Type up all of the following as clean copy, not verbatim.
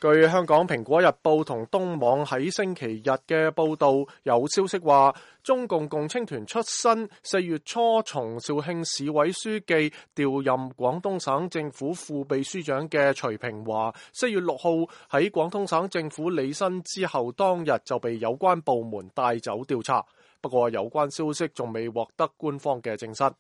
據香港蘋果日報同東網喺星期日嘅報道，有消息話，中共共青團出身4月初從肇慶市委書記調任廣東省政府副秘書長嘅徐平華，4月6號喺廣東省政府履新之後當日就被有關部門帶走調查。不過有關消息仲未獲得官方嘅證實。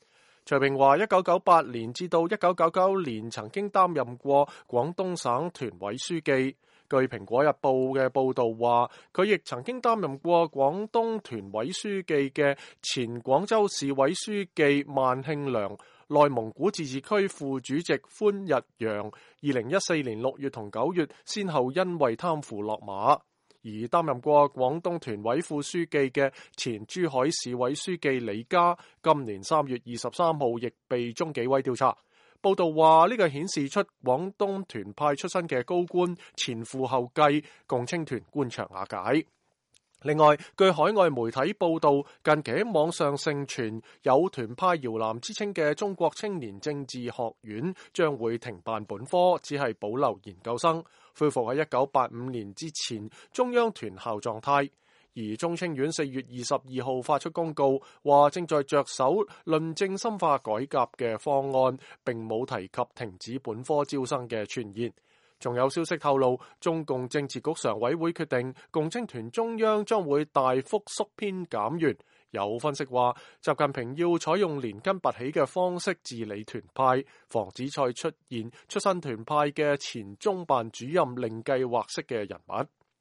徐平華1998年至到1999年曾經擔任過廣東省團委書記。據《蘋果日報》嘅報導話，佢亦曾經擔任過廣東團委書記嘅前廣州市委書記萬慶良、內蒙古自治區副主席寬日陽，2014年6月同9月先後因為貪腐落馬。而擔任過廣東團委副書記嘅前珠海市委書記李嘉，今年3月23號亦被中紀委調查。報道話呢個顯示出廣東團派出身嘅高官前赴後繼，共青團官場瓦解。另外，據海外媒體報道，近期喺網上盛傳有團派搖籃之稱嘅中國青年政治學院將會停辦本科，只係保留研究生，恢復喺1985年之前中央團校狀態。而中青院4月22號發出公告，話正在着手論證深化改革嘅方案，並冇提及停止本科招生嘅傳言。仲有消息透露，中共政治局常委會決定，共青團中央將會大幅縮編減員。有分析話，習近平要採用連根拔起嘅方式治理團派，防止再出現出身團派嘅前中辦主任另計劃式嘅人物。